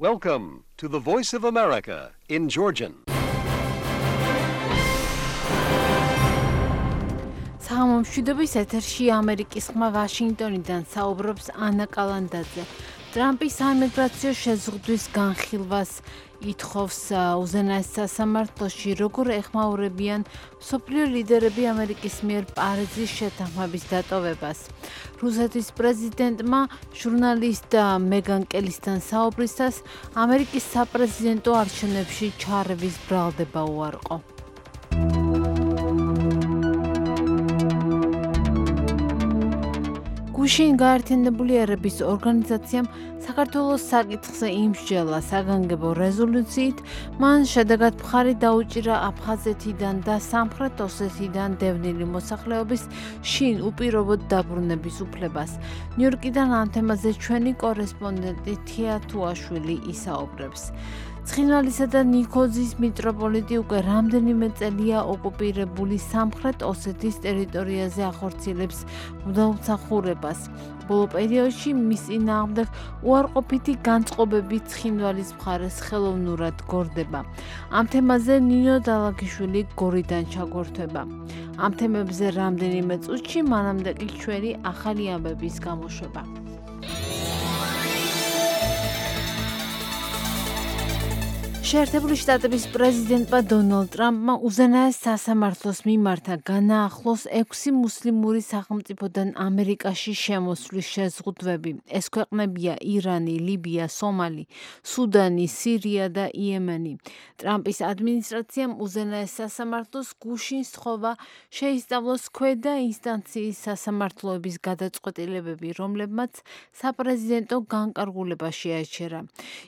Welcome to the Voice of America in Georgian. Სამომშვიდობის ეთერში ამერიკის ხმა ვაშინგტონიდან საუბრობს ანა კალანდაძე. ტრამპის საიმიგრაციო შეზღუდვის განხილვას ითხოვს უზენაეს სასამართლოში, როგორ ეხმაურებიან მსოფლიო ლიდერები ამერიკის მიერ პარიზის შეთანხმების დატოვებას. რუსეთის პრეზიდენტმა ჟურნალისტ მეგან კელისთან საუბრისას ამერიკის საპრეზიდენტო არჩევნებში ჩარევის ბრალდება უარყო. გუშინ გაერთიანებული ერების ორგანიზაციამ საქართველოს საკითხზე იმსჯელა საგანგებო რეზოლუციით, მან შედეგად მხარი დაუჭირა აფხაზეთიდან და სამხრეთ ოსეთიდან დევნილი მოსახლეობის შინ უპირობოდ დაბრუნების უფლებას. ნიუ-იორკიდან ამ თემაზე ჩვენი კორესპონდენტი თია თუაშვილი ისაუბრებს. ცხინვალისა და ნიქოზის მიტროპოლიტი უკვე რამდენიმე წელია ოკუპირებული სამხრეთ ოსეთის ტერიტორიაზე ახორციელებს მუდამსახურებას. ბოლო პერიოდში მის წინააღმდეგ უარყოფითი განწყობები ცხინვალის მხარეს ხელოვნურად გორდება. ამ თემაზე ნინო დალაგიშვილი გორიდან ჩაგვერთვება. ამ თემებზე რამდენიმე წუთში მანამდე კი ჩვენი ახალი ამბების გამოშვება. შეერთებული შტატების პრეზიდენტმა დონალდ ტრამპმა უზენაეს სასამართლოს მიმართა განაახლოს 6 მუსლიმური სახელმწიფოდან ამერიკაში შემოსვლის შეზღუდვები. ეს ქვეყნებია ირანი, ლიბია, სომალი, სუდანი, სირია და იემენი. ტრამპის ადმინისტრაციამ უზენაეს სასამართლოს გუშინ სთხოვა შეისწავლოს ქვედა ინსტანციის სასამართლოების გადაწყვეტილებები, რომლებმაც საპრეზიდენტო განკარგულება შეაჩერა.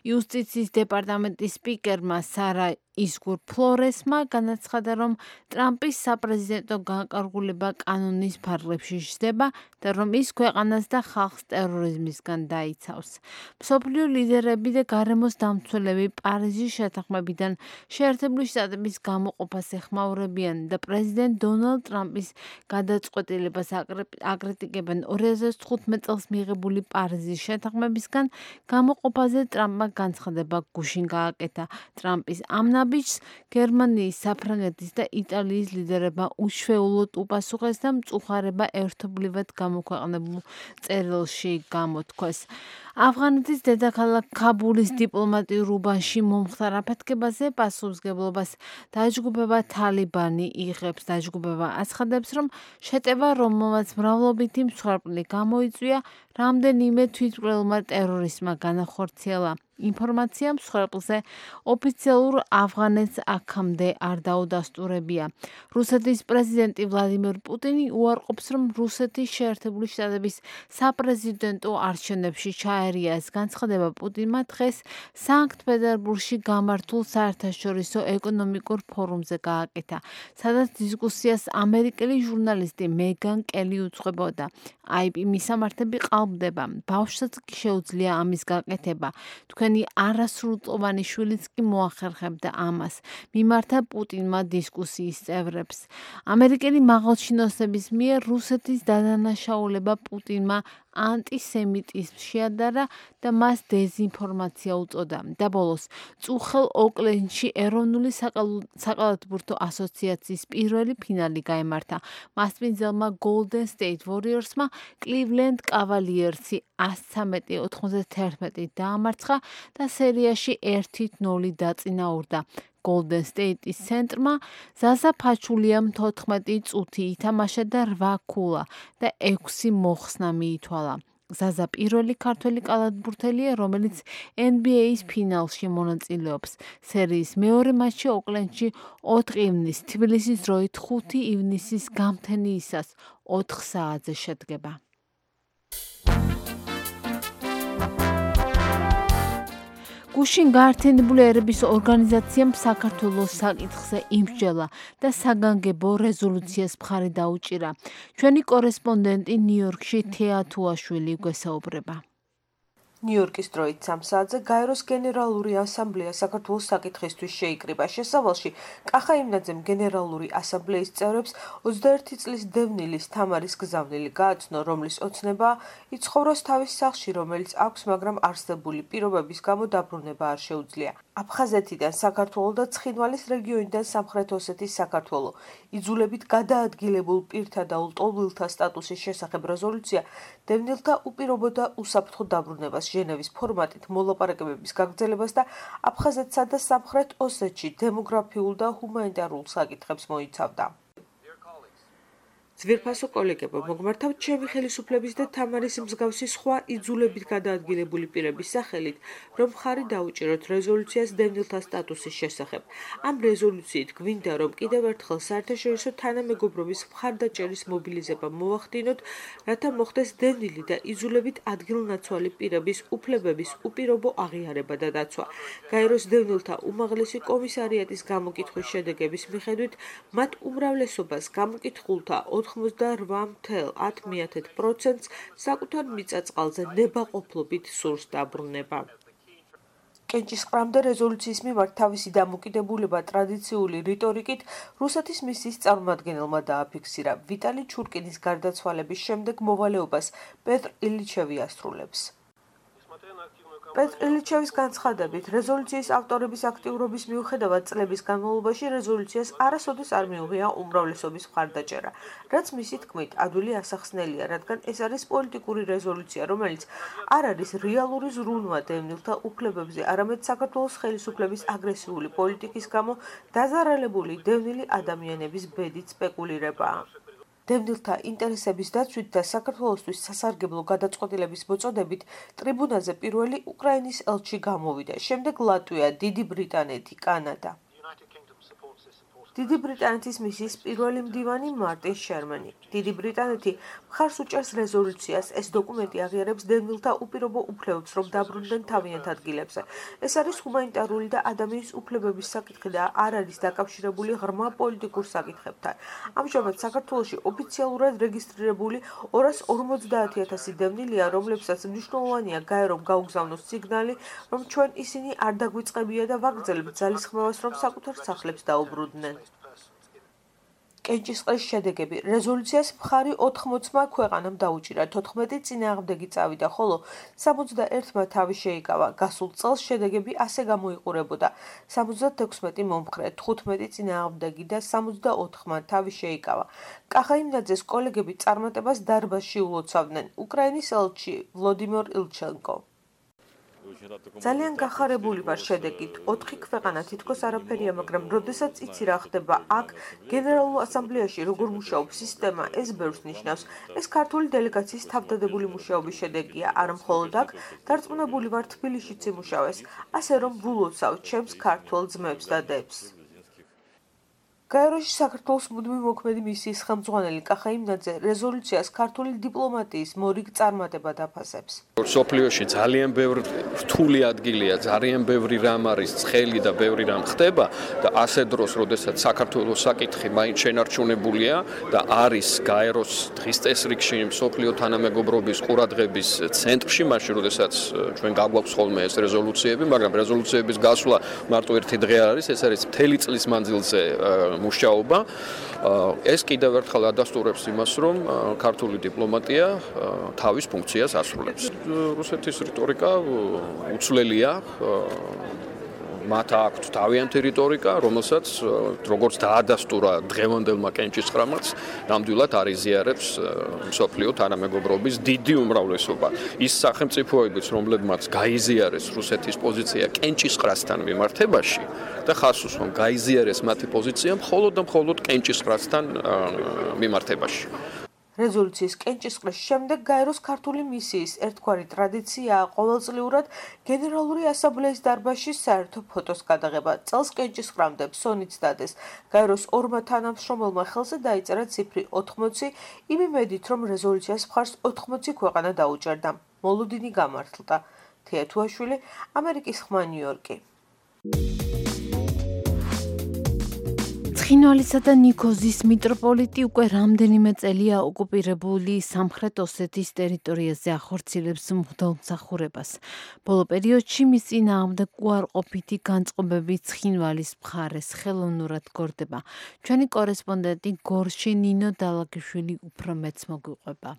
იუსტიციის დეპარტამენტის სპიკერმა სარა ისგურ ფლორესმა განაცხადა, რომ ტრამპის საპრეზიდენტო განკარგულება კანონის ფარგლებში ჯდება და რომ ის ქვეყანას და ხალხს ტერორიზმისგან დაიცავს. მსოფლიო ლიდერები და გარემოს დამცველები პარიზის შეთანხმებიდან შეერთებული შტატების გამოყოფას ეხმაურებიან და პრეზიდენტ დონალდ ტრამპის გადაწყვეტილებას აკრიტიკებენ. 2015 წელს მიღებული პარიზის შეთანხმებისგან გამოყოფაზე ტრამპმა განცხადება გუშინ გააკეთა. ტრამპის ამ ნაბიჯს გერმანიის, საფრანგეთის და იტალიის ლიდერებმა უჩვეულოდ უპასუხეს და მწუხარება ერთობლივად გამოქვეყნებულ წერილში გამოთქვეს. ავღანეთის დედაქალაქ ქაბულის დიპლომატიურ უბანში მომხდარ აფეთქებაზე პასუხისმგებლობას დაჯგუფება თალიბანი იღებს. დაჯგუფება აცხადებს, რომ შეტევა, რომელმაც მრავლობითი მსხვერპლი გამოიწვია, რამდენიმე თვითმკვლელმა ტერორისტმა განახორციელა. ინფორმაცია მსხვერპლზე ოფიციალურ ავღანეთს აქამდე არ დაუდასტურებია. რუსეთის პრეზიდენტი ვლადიმირ პუტინი უარყოფს, რომ რუსეთის შეერთებული შტატების საპრეზიდენტო არჩევნებში ჩაერია. ეს განცხადება პუტინმა დღეს სანქტ-პეტერბურგში გამართულ საერთაშორისო ეკონომიკურ ფორუმზე გააკეთა, სადაც დისკუსიას ამერიკელი ჟურნალისტი მეგან კელი უძღვებოდა. IP მისამართები ყალბდება. ბავშვსაც კი შეუძლია ამის გაკეთება. თქვენი არასრულწლოვანი შვილიც კი მოახერხებდა ამას. მიმართა პუტინმა დისკუსიის წევრებს. ამერიკელი მაღალჩინოსების მიერ რუსეთის დადანაშაულება პუტინმა ანტისემიტიზმს შეადარა და მას დეზინფორმაცია უწოდა. და ბოლოს წუხელ ოკლენდში ეროვნული საკალათბურთო ასოციაციის პირველი ფინალი გაემართა. მასპინძელმა Golden State Warriorsმა Cleveland Cavaliersი 113-91 დაამარცხა და სერიაში 1-0 დაწინაურდა. Golden State-ის ცენტრმა ზაზა ფაჩულიამ 14 წუთი ითამაშა და 8 ქულა და 6 მოხსნა მიითვალა. ზაზა პირველი ქართველი კალათბურთელია, რომელიც NBA-ის ფინალში მონაწილეობს. სერიის მეორე მატჩი ოკლენდში 4 ივნისს, თბილისის დროით 5 ივნისის გამთენიისას 4 საათზე შედგება. გუშინ გაერთიანებული ერების ორგანიზაციამ საქართველოს საკითხზე იმსჯელა და საგანგებო რეზოლუციას მხარი დაუჭირა. ჩვენი კორესპონდენტი ნიუ-იორკში თეა თუაშვილი გვესაუბრება. ნიუ-იორკის დროით 3 საათზე გაეროს გენერალური ასამბლეა საქართველოს საკითხისთვის შეიკრიბა. შესავალში კახა იმნაძემ გენერალური ასამბლეის წევრებს 21 წლის დევნილის თამარის გზავნილი გააცნო, რომლის ოცნება იცხოვროს თავის სახლში, რომელიც აქვს, მაგრამ არსებული პირობების გამო დაბრუნება არ შეუძლია. აფხაზეთიდან საქართველო და ცხინვალის რეგიონიდან სამხრეთ ოსეთის საქართველო იძულებით გადაადგილებულ პირთა და ლტოლვილთა სტატუსის შესახებ რეზოლუცია დევნილთა უპირობო და უსაფრთხო დაბრუნებას, ჟენევის ფორმატით მოლაპარაკებების გაგრძელებას და აფხაზეთსა და სამხრეთ ოსეთში დემოგრაფიულ და ჰუმანიტარულ საკითხებს მოიცავდა. ძვირფასო კოლეგებო, მოგმართავთ ჩემი ხელისუფლების და თამარის მსგავსი სხვა იძულებით გადაადგილებული პირების სახელით, რომ მხარი დაუჭიროთ რეზოლუციას დევნილთა სტატუსის შესახებ. ამ რეზოლუციით გვინდა, რომ კიდევ ერთხელ საერთაშორისო თანამეგობრობის მხარდაჭერის მობილიზება მოვახდინოთ, რათა მოხდეს დევნილი და იძულებით ადგილნაცვალი პირების უფლებების უპირობო აღიარება და დაცვა. გაეროს დევნილთა უმაღლესი კომისარიატის გამოკითხვის შედეგების მიხედვით, მათ უმრავლესობას გამოკითხულთა 88,10% საკუთარ მიწა-წყალზე ნებაყოფლობით სურს დაბრუნება. კენჭისყრამდე რეზოლუციის მიმართ თავისი დამოკიდებულება ტრადიციული რიტორიკით რუსეთის მისიის წარმომადგენელმა დააფიქსირა. ვიტალი ჩურკინის გარდაცვალების შემდეგ მოვალეობას პეტრ ილიჩევი ასრულებს. პეტრ ილიჩევის განცხადებით, რეზოლუციის ავტორების აქტიურობის მიუხედავად წლების განმავლობაში რეზოლუციას არასოდეს არ მიუღია უმრავლესობის მხარდაჭერა, რაც მისი თქმით ადვილი ასახსნელია, რადგან ეს არის პოლიტიკური რეზოლუცია, რომელიც არ არის რეალური ზრუნვა დევნილთა უფლებებზე, არამედ საქართველოს ხელისუფლების აგრესიული პოლიტიკის გამო დაზარალებული დევნილი ადამიანების ბედით სპეკულირებაა. დევნილთა ინტერესების დაცვით და საქართველოსთვის სასარგებლო გადაწყვეტილების მოწოდებით ტრიბუნაზე პირველი უკრაინის ელჩი გამოვიდა, შემდეგ ლატვია, დიდი ბრიტანეთი, კანადა. დიდი ბრიტანეთის მისიის პირველი მდივანი მარტინ შერმანი. დიდი ბრიტანეთი მხარს უჭერს რეზოლუციას, ეს დოკუმენტი აღიარებს დევნილთა უპირობო უფლებებს, რომ დაბრუნდნენ თავიანთ ადგილებზე. ეს არის ჰუმანიტარული და ადამიანის უფლებების საკითხი და არ არის დაკავშირებული ღრმა პოლიტიკურ საკითხებთან. ამჟამად საქართველოში ოფიციალურად რეგისტრირებული 250,000 დევნილია, რომლებსაც მნიშვნელოვანია გაერომ გაუგზავნოს სიგნალი, რომ ჩვენ ისინი არ დაგვიწყებია და ვაგრძელებთ ძალისხმევას, რომ საკუთარ სახლებს დაუბრუნდნენ. კენჭისყრის შედეგები. რეზოლუციას მხარი 80-მა ქვეყანამ დაუჭირა, 14 წინააღმდეგი წავიდა, ხოლო 61-მა თავი შეიკავა. გასულ წელს შედეგები ასე გამოიყურებოდა: 76 მომხრე, 15 წინააღმდეგი და 64-მა თავი შეიკავა. კახა იმნაძეს კოლეგები წარმატებას დარბაზში ულოცავდნენ. უკრაინის ელჩი ვლოდიმირ ილჩენკო. ძალიან გახარებული ვარ შედეგით. 4 ქვეყანა თითქოს არაფერია, მაგრამ როდესაც იცი რა ხდება აქ, გენერალურ ასამბლეაში როგორ მუშაობს სისტემა, ეს ბევრს ნიშნავს. ეს ქართული დელეგაციის თავდადებული მუშაობის შედეგია, არა მხოლოდ აქ, დარწმუნებული ვარ თბილისშიც იმუშავეს, ასე რომ ვილოცავ ჩემს ქართველ ძმებს და დებს. გაეროში საქართველოს მუდმივი მოქმედი მისიის ხელმძღვანელი კახა იმნაძე რეზოლუციას ქართული დიპლომატიის მორიგ წარმატებად აფასებს. სოფლიოში ძალიან ბევრი რთული ადგილია, ძალიან ბევრი რამ არის ცხელი და ბევრი რამ ხდება და ასე დროს, როდესაც საქართველოს საკითხი მაინც შენარჩუნებულია და არის გაეროს დღის წესრიგში სოფლიო თანამეგობრობის ყურადღების ცენტრში, მაშინ როდესაც ჩვენ გაგვაქვს ხოლმე ეს რეზოლუციები, მაგრამ რეზოლუციების გასვლა მარტო ერთი დღე არ არის, ეს არის მთელი წლის მანძილზე მუშაობა. ეს კიდევ ერთხელ ადასტურებს იმას, რომ ქართული დიპლომატია თავის ფუნქციას ასრულებს. რუსეთის რიტორიკა უცვლელია, მათ აქვთ თავიანთი რიტორიკა, რომელსაც როგორც დაადასტურა დღევანდელმა კენჭისყრამაც, ნამდვილად არ იზიარებს მსოფლიო თანამეგობრობის დიდი უმრავლესობა. ის სახელმწიფოებიც, რომლებმაც გაიზიარეს რუსეთის პოზიცია კენჭისყრასთან მიმართებაში და ხას უსვამ გაიზიარეს მათი პოზიცია მხოლოდ და მხოლოდ კენჭისყრასთან მიმართებაში. რეზოლუციის კენჭისყრის შემდეგ გაეროს ქართული მისიის ერთგვარი ტრადიციაა ყოველწლიურად გენერალური ასამბლეის დარბაზში საერთო ფოტოს გადაღება. წელს კენჭისყრამდე ფსონიც დადეს. გაეროს ორმა თანამშრომელმა ხელზე დაიწერა ციფრი 80, იმ იმედით, რომ რეზოლუციას მხარს 80 ქვეყანა დაუჭერდა. მოლოდინი გამართლდა. თია თუაშვილი, ამერიკის ხმა, ნიუ-იორკი. ცხინვალისა და ნიქოზის მიტროპოლიტი უკვე რამდენიმე წელია ოკუპირებული სამხრეთ ოსეთის ტერიტორიაზე ახორციელებს მღვდელმსახურებას. ბოლო პერიოდში მის წინააღმდეგ უარყოფითი განწყობები ცხინვალის მხარეს ხელოვნურად გორდება. ჩვენი კორესპონდენტი გორში ნინო დალაგიშვილი უფრო მეც მოგვიყვება.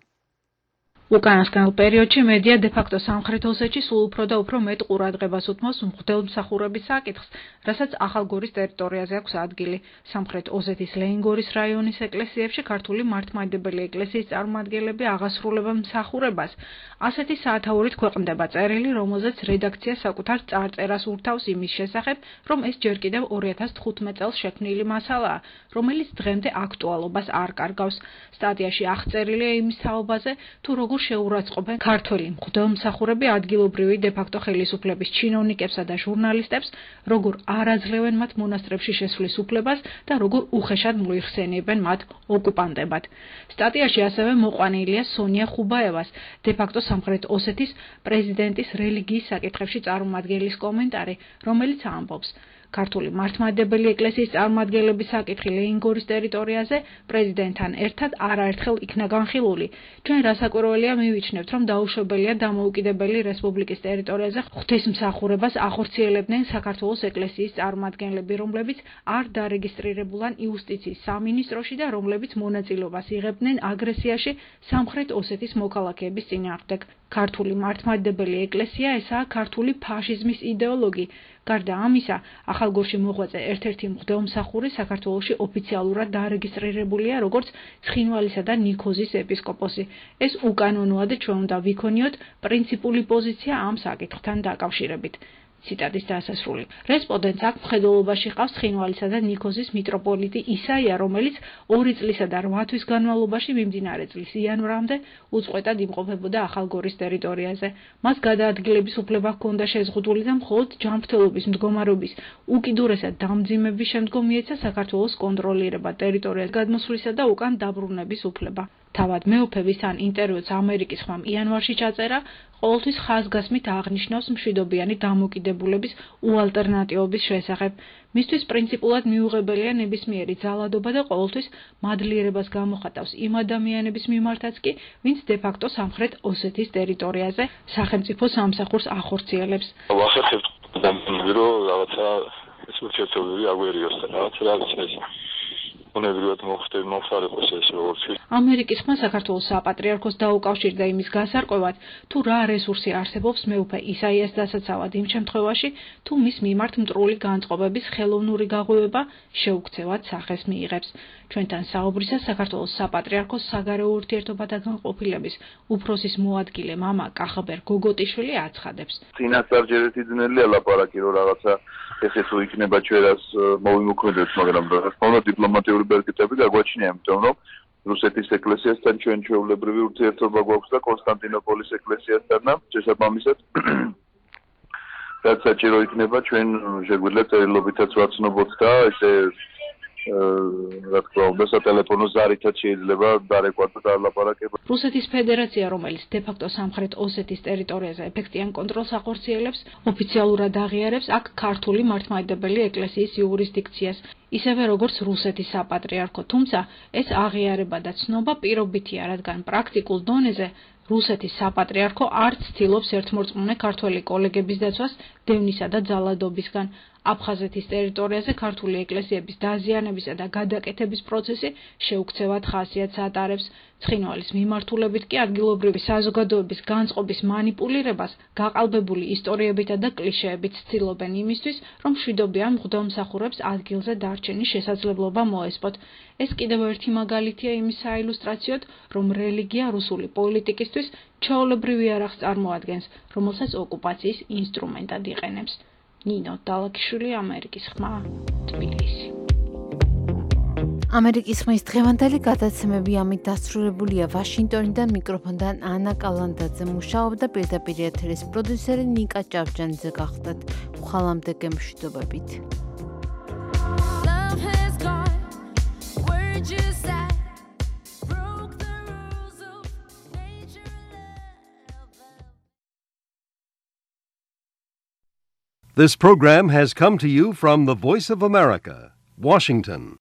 უკანასკნელ პერიოდში მედია დე-ფაქტო სამხრეთ ოსეთში სულ უფრო და უფრო მეტ ყურადღებას უთმობს მღვდელმსახურების საკითხს, რასაც ახალგორის ტერიტორიაზე აქვს ადგილი. სამხრეთ ოსეთის ლეინგორის რაიონის ეკლესიებში ქართული მართლმადიდებელი ეკლესიის წარმომადგენლები აღასრულებენ მსახურებას. ასეთი საათაურით ქვეყნდება წერილი, რომელზეც რედაქცია საკუთარ წარწერას ურთავს იმის შესახებ, რომ ეს ჯერ კიდევ 2015 წელს შექმნილი მასალაა, რომელიც დღემდე აქტუალობას არ კარგავს. სტატიაში აღწერილია იმის თაობაზე, თუ როგორ შეურაცხყოფენ ქართველი მღვდელმსახურები ადგილობრივი დე-ფაქტო ხელისუფლების ჩინოვნიკებსა და ჟურნალისტებს, როგორ არ აძლევენ მათ მონასტრებში შესვლის უფლებას და როგორ უხეშად მოიხსენიებენ მათ ოკუპანტებად. სტატიაში ასევე მოყვანილია სონია ხუბაევას, დე-ფაქტო სამხრეთ ოსეთის პრეზიდენტის რელიგიის საკითხებში წარმომადგენლის კომენტარი, რომელიც ამბობს: ქართული მართლმადიდებელი ეკლესიის წარმომადგენლების საკითხი ლეინგორის ტერიტორიაზე პრეზიდენტთან ერთად არაერთხელ იქნა განხილული. ჩვენ რასაკვირველია მივიჩნევთ, რომ დაუშვებელია დამოუკიდებელი რესპუბლიკის ტერიტორიაზე ღვთისმსახურებას ახორციელებდნენ საქართველოს ეკლესიის წარმომადგენლები, რომლებიც არ დარეგისტრირებულან იუსტიციის სამინისტროში და რომლებიც მონაწილეობას იღებდნენ აგრესიაში სამხრეთ ოსეთის მოქალაქეების წინააღმდეგ. ქართული მართლმადიდებელი ეკლესია ესაა ქართული ფაშიზმის იდეოლოგი. გარდა ამისა, ახალგორში მოღვაწე ერთ-ერთი მღვდელმსახური საქართველოში ოფიციალურად დარეგისტრირებულია როგორც ცხინვალისა და ნიქოზის ეპისკოპოსი. ეს უკანონოა და ჩვენ უნდა ვიქონიოთ პრინციპული პოზიცია ამ საკითხთან დაკავშირებით. ციტატის დასასრული. რესპონდენტს აქ მხედველობაში ყავს ცხინვალისა და ნიქოზის მიტროპოლიტი ისაია, რომელიც 2 წლისა და 8 თვის განმავლობაში მიმდინარე წლის იანვრამდე უწყვეტად იმყოფებოდა ახალგორის ტერიტორიაზე. მას გადაადგილების უფლება ჰქონდა შეზღუდული და მხოლოდ ჯანმრთელობის მდგომარეობის უკიდურესად დამძიმების შემდგომ მიეცა საქართველოს კონტროლირება ტერიტორიას გადმოსვლისა და უკან დაბრუნების უფლება. თავად მეუფევის თან ინტერვიუც ამერიკის ხმამ იანვარში ჩაწერა, ყოველთვის ხაზგასმით აღნიშნავს მშვიდობიანი დამოკიდებულების უალტერნატივობის შესახებ. მისთვის პრინციპულად მიუღებელია ნებისმიერი ძალადობა და ყოველთვის მადლიერებას გამოხატავს იმ ადამიანების მიმართაც კი, ვინც დე-ფაქტო სამხრეთ ოსეთის ტერიტორიაზე სახელმწიფო სამსახურს ახორციელებს. ვახერხებთ ადამიანები, რომ რაღაცა ეს ურთიერთობები აგვერიოს და რაღაცა ეს უნებრივად მომხდარიყოს ეს როგორც ამერიკის ხმა საქართველოს საპატრიარქოს დაუკავშირდა იმის გასარკვევად, თუ რა რესურსი არსებობს მეუფე ისაიას დასაცავად იმ შემთხვევაში, თუ მის მიმართ მტრული განწყობების ხელოვნური გაღვივება შეუქცევად სახეს მიიღებს. ჩვენთან საუბრისას საქართველოს საპატრიარქოს საგარეო ურთიერთობათა განყოფილების უფროსის მოადგილე მამა კახაბერ გოგოტიშვილი აცხადებს. წინასწარ ერთი ძნელია ლაპარაკი, რომ რაღაცა ესე თუ იქნება ჩვენას მოვიმოქმედოთ, მაგრამ რა თქმა უნდა დიპლომატიური ბერკეტები გაგვაჩნია, იმიტომ რომ რუსეთის ეკლესიასთან ჩვენ ჩვეულებრივი ურთიერთობა გვაქვს და კონსტანტინოპოლის ეკლესიასთან, შესაბამისად რაც საჭირო იქნება ჩვენ შეგვიძლია წერილობითაც ვაცნობოთ და ესე რა თქმა უნდა სატელეფონო ზარითაც შეიძლება დარეკვათ და ლაპარაკება. რუსეთის ფედერაცია, რომელიც დე-ფაქტო სამხრეთ ოსეთის ტერიტორიაზე ეფექტიან კონტროლს ახორციელებს, ოფიციალურად აღიარებს აქ ქართული მართლმადიდებელი ეკლესიის იურისდიქციას, ისევე როგორც რუსეთის საპატრიარქო, თუმცა ეს აღიარება და ცნობა პირობითია, რადგან პრაქტიკულ დონეზე რუსეთის საპატრიარქო არ ცდილობს ერთმორწმუნე ქართველი კოლეგების დაცვას დევნისა და ძალადობისგან. აფხაზეთის ტერიტორიაზე ქართული ეკლესიების დაზიანებისა და გადაკეთების პროცესი შეუქცევად ხასიათს ატარებს. ცხინვალის მიმართულებით კი ადგილობრივი საზოგადოების განწყობის მანიპულირებას გაყალბებული ისტორიებითა და კლიშეებით ცდილობენ იმისთვის, რომ მშვიდობიან მღვდელმსახურებს ადგილზე დარჩენის შესაძლებლობა მოესპოთ. ეს კიდევ ერთი მაგალითია იმის საილუსტრაციოდ, რომ რელიგია რუსული პოლიტიკისთვის ჩვეულებრივ იარაღს წარმოადგენს, რომელსაც ოკუპაციის ინსტრუმენტად იყენებს. ნინო დალაგიშვილი, ამერიკის ხმა, თბილისი. ამერიკის ხმის დღევანდელი გადაცემები ამით დასრულებულია. ვაშინგტონიდან მიკროფონთან ანა კალანდაძე მუშაობდა, პირდაპირ ეთერის პროდიუსერი ნიკა ჭავჭანიძე გახდათ. ხვალამდე გემშვიდობებით. This program has come to you from the Voice of America, Washington.